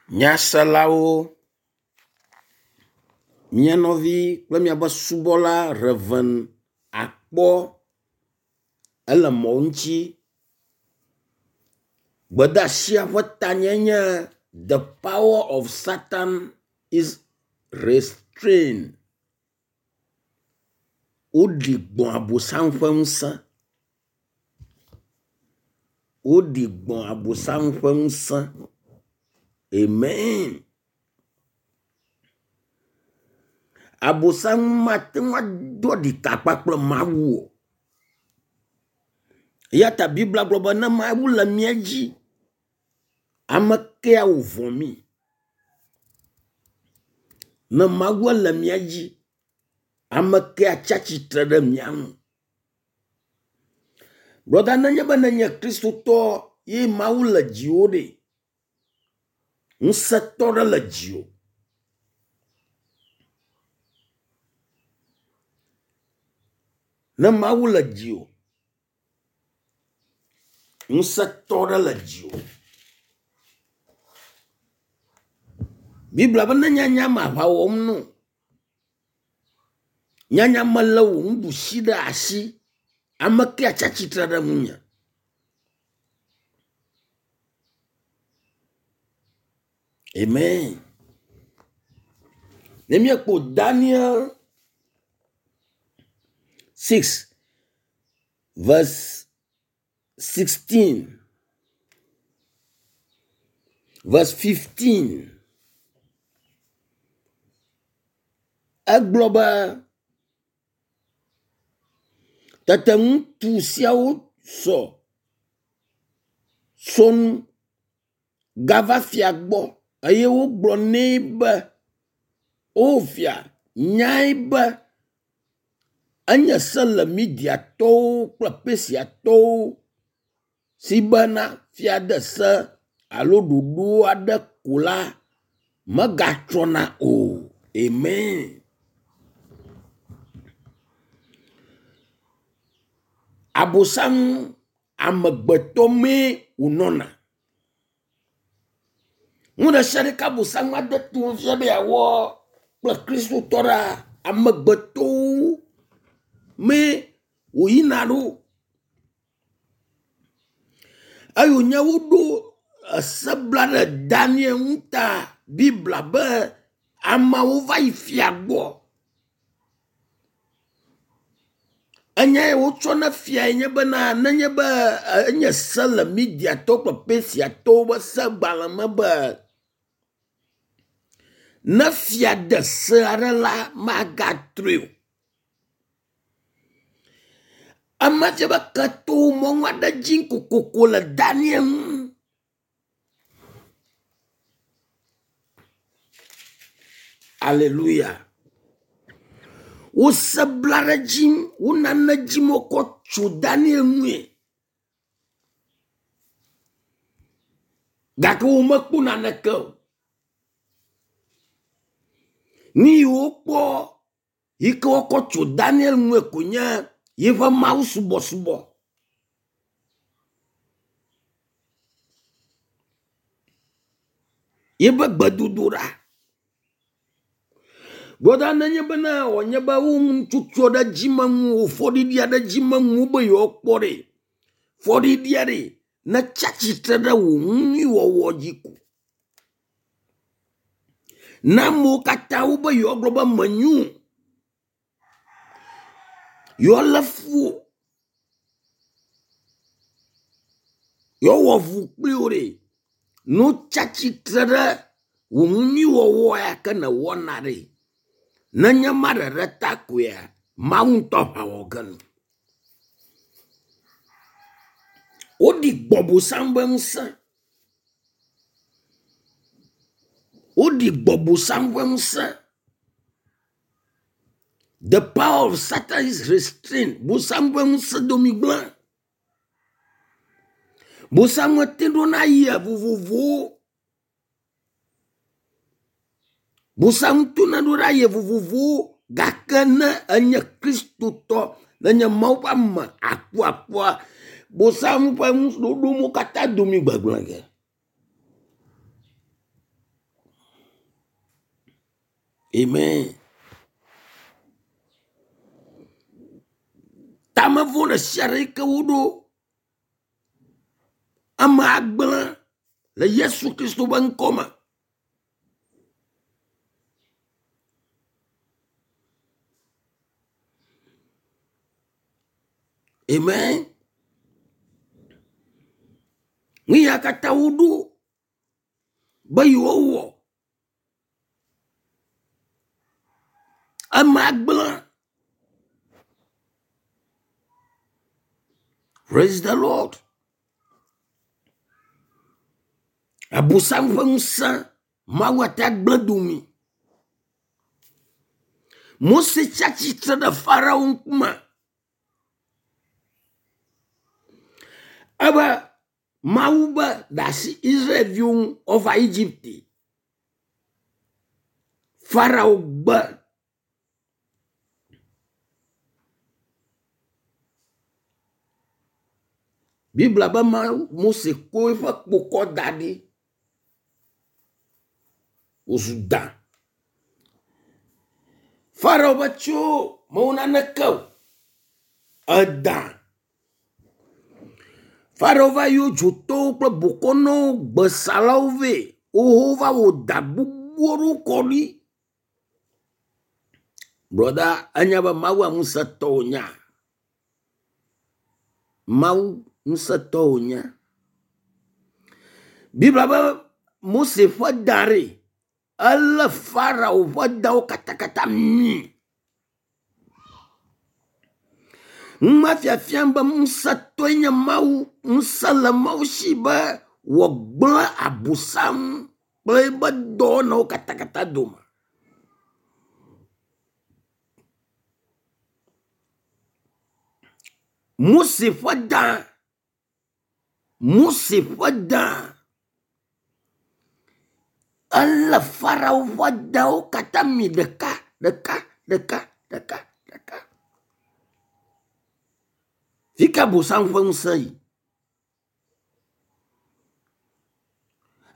Nyaselawo, mía nɔvi kple míaƒe subɔla Rev. Akpɔ ele mɔ ŋutsi. Gbedeasia ƒe tanyae nye “The power of satan is restrain”. Woɖi gbɔ abosam ƒe ŋusẽ. Woɖi gbɔ abosam ƒe ŋusẽ. Amen. Abosam mate ŋu ado ɖika kpakple Mawu o. Eya ta Biblia gblɔ be ne Mawu le mía dzi, ame kae wòvɔ̃ mí? Ne Mawu le mía dzi, ame kae atsi atsitre ɖe mía ŋu? Brɔda nenye be nenye kristotɔ ye Mawu le dziwò ɖe, ŋusẽtɔ ɖe le dziwò. Ne Mawu le dziwò, ŋusẽtɔ ɖe le dziwò. Biblia be ne nyanya me aʋa wɔm no. Nyanya melé wò nuɖusi ɖe asi. Ame kae atsi atsitre ɖe ŋunye? Amen. Ne míekpɔ Daniel 6 verse 16 verse 15 egblɔ be tete ŋutsu siawo sɔ sɔnu gava fia gbɔ eye wogblɔ nɛ be o fia nyae be enye se le Midiatɔwo kple Persiatɔwo si bena fia de se alo ɖoɖo aɖe ko la megatrɔna o. Amen. Abosam amegbetɔ mee wònɔna. Nu ɖe sia ɖe ke Abosam ade to fia be yeawɔ kple Kristotɔ ɖea, amegbetɔwo mee wòyina ɖo. Eye wònye woɖo ese bla ɖe Daniel ŋu ta Biblia be ameawo va yi fia gbɔ. Enya yi wotsɔ na fiae nye bena nenye be enye se le Midiatɔwo kple Persiatɔwo ƒe segbalẽ me be ne fia de se aɖe la, magatrɔe o. Ema fia be ketɔwo mɔnu aɖe dzi kokoko le Daniel ŋu. Aleluya. Wose bla ɖe edzi, wo nane dzim wokɔ tso Daniel ŋue. Gake womekpɔ naneke o. Nu yi wokpɔ yi ke wokɔ tso Daniel ŋue ko nye yiƒe mawusubɔsubɔ. Yiƒe gbedodoɖa. Gbɔda nenye bena wònye be wo nutsotso ɖe dzi me ŋu o, fɔɖiɖi aɖe dzi me ŋu be yewoakpɔ ɖe, fɔɖiɖia ɖe netsi atsitre ɖe wò nunyuiwɔwɔ dzi ko. Na amewo katã wobe yewoagblɔ be menyo o. Yewoalé fu wò. Yewoawɔ avu kpli wò ɖe. Ne wotsi atsitre ɖe wò nunyuiwɔwɔ ya ke nèwɔna ɖe, nenye ma ɖeɖe ta koea, Mawu ŋutɔ aʋa wɔ ge nu. Woɖi gbɔ bosam ƒe ŋusẽ. Woɖi gbɔ bosam ƒe ŋusẽ. The power of Satan is restrained. Bosam ƒe ŋusẽ domi gblẽ. Bosam te ɖona yia vovovowo. Bosam tona ɖo ɖe aye vovovowo gake ne enye kristotɔ nenye Mawu ƒe ame akuakua bosam ƒe nuɖoɖowo katã domi gbegblẽ ge. Amen. Tame vɔ̃ ɖe sia ɖe yi ke woɖo ame agblẽ le Yesu Kristo ƒe ŋkɔ me. Amen. Nu ya katã woɖo be yewowɔ ame gblẽ. Praise the Lord. Abosam ƒe ŋusẽ Mawu ate agblẽ domi. Mose tsi atsitre ɖe Farao ŋkume. Ebe Mawu be ɖe asi Israelviwo ŋu woava Egipte. Farao gbe. Biblia be Mawu Mose ko eƒe kpokɔ da ɖi wòzu da. Farao be tso mewɔ naneke o. Eda. Farao va yɔ dzotɔwo kple bokɔnɔwo, gbesalawo vɛ. Woho va wɔ da gbogbo aɖewo kɔ ɖi. Brɔda, enya be Mawua ŋusẽtɔ wònyea? Mawu ŋusẽtɔ wònye. Biblia be Mose ƒe da ɖe, elé Farao ƒe dawo katakata mi. Numa fiafiam be ŋusẽtɔe nye Mawu, ŋusẽ le Mawu si be wòagblẽ Abosam kple eƒe dɔwɔnawo katakata dome. Mose ƒe da, Mose ƒe da, elé Farao ƒe dawo katã mi ɖeka ɖeka ɖeka ɖeka ɖeka. Fi ka Abosam ƒe ŋusẽ yi?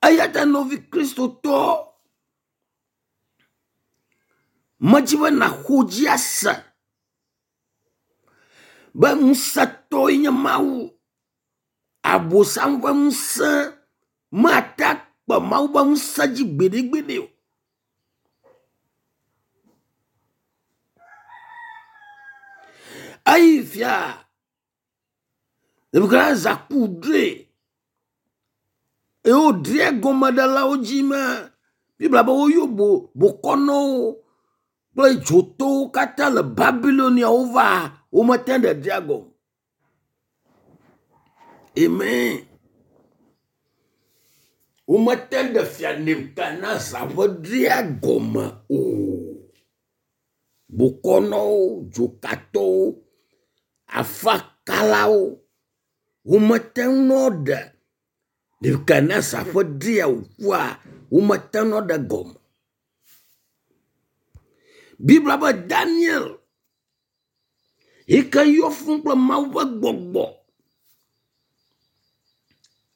Eya ta nɔvi Kristotɔ, medzi be nàxɔ dzi ase be ŋusẽtɔe nye Mawu. Abosam ƒe ŋusẽ mate akpe Mawu ƒe ŋusẽ dzi gbeɖegbeɖe o. Eyi fia Nebukadnezar ku drɔe eye wòdre egɔmeɖelawo dzi me. Biblia be woyɔ bo bokɔnɔwo kple dzotowo katã le Babilonia wova womete ɖe drea gɔme. Amen. Womete ɖe fia Nebukadnezar ƒe drea gɔme o. Bokɔnɔwo, dzokatɔwo, afakalawo, womete ŋu nɔ ɖe Nebukadnezar ƒe drea wòkua, womete ŋu nɔ ɖe gɔme. Biblia be Daniel yi ke yɔ fũu kple Mawu ƒe gbɔgbɔ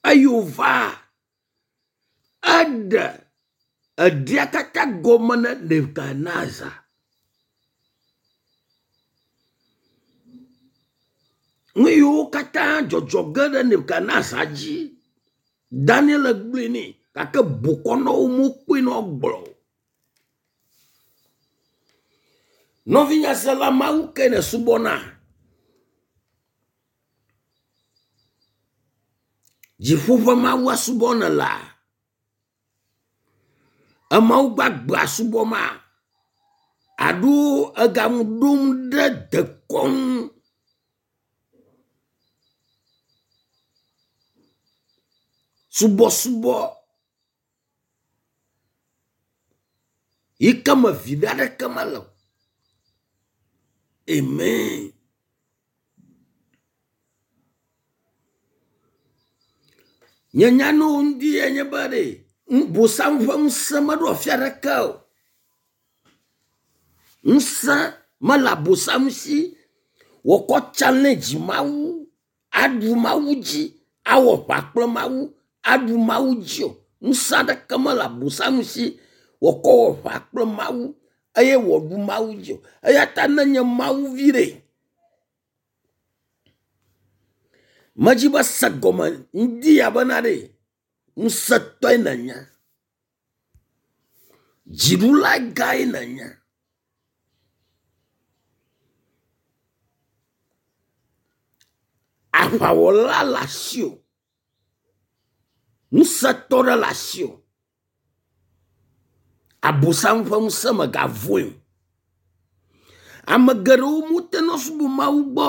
eye wòva eɖe eɖia katã gɔme na Nebukadnezar. Nu yiwo katã dzɔdzɔ ge ɖe Nebukadnezar dzi, Daniel gblɔe nɛ gake bokɔnɔwo mekpɔe na wogblɔ o. Nɔvinyasela Mawu ke nèsubɔna. Dziƒo ƒe Mawua subɔm nèlea? Emawu gbagbea subɔma? Alo egaŋu ɖom ɖe dekɔnu subɔsubɔ yi ke me viɖe aɖeke mele o. Amen. Nye nya na wo ŋdi enye be ɖe bosam ƒe ŋusẽ meɖo afi aɖeke o. Ŋusẽ mele abosam si wòkɔ challenge Mawu, aɖu Mawu dzi, awɔ ʋa kple Mawu, aɖu Mawu dzi o. Ŋusẽ aɖeke mele abosam si wòkɔ wɔ ʋa kple Mawu. eye wòaɖu Mawu dzi o. Eya ta ne nye Mawu vi ɖe, medzi be se gɔme ŋdi ya bena ɖe ŋusẽtɔe nènye. Dziɖula gãe nènye. Aʋawɔla le asiwò. Ŋusẽtɔ ɖe le asiwò. Abosam ƒe ŋusẽ megavɔe o. Ame geɖewo mete ŋu subɔ Mawu gbɔ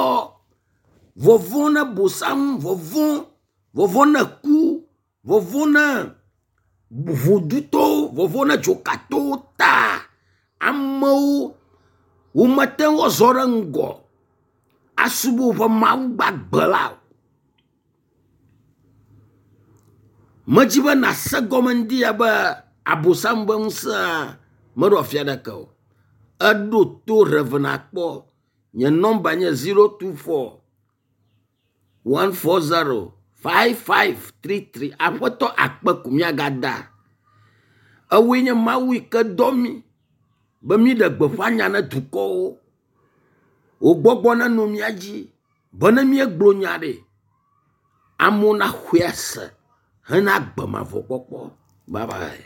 vɔvɔ̃ na bosam, vɔvɔ̃, vɔvɔ̃ na ku, vɔvɔ̃ na ʋudutɔwo, vɔvɔ̃ na dzokatɔwo ta amewo womete ŋu azɔ ɖe ŋgɔ asubɔ woƒe Mawu gbagbe la o. Medzi be nàse gɔme ŋdi ya be abosam ƒe ŋusẽa meɖo afi aɖeke o. Eɖo to Rev. Akpɔ. Nye nɔmba nye 024 140 5533. Aƒetɔ akpe ko míagada. Ewoe nye Mawu yi ke dɔ mí be míɖe gbeƒã nya na dukɔwo. Wò gbɔgbɔ nenɔ mía dzi be ne míegblɔ nya ɖe, amewo naxɔe ase hena agbe mavɔ kpɔkpɔ. Bye bye.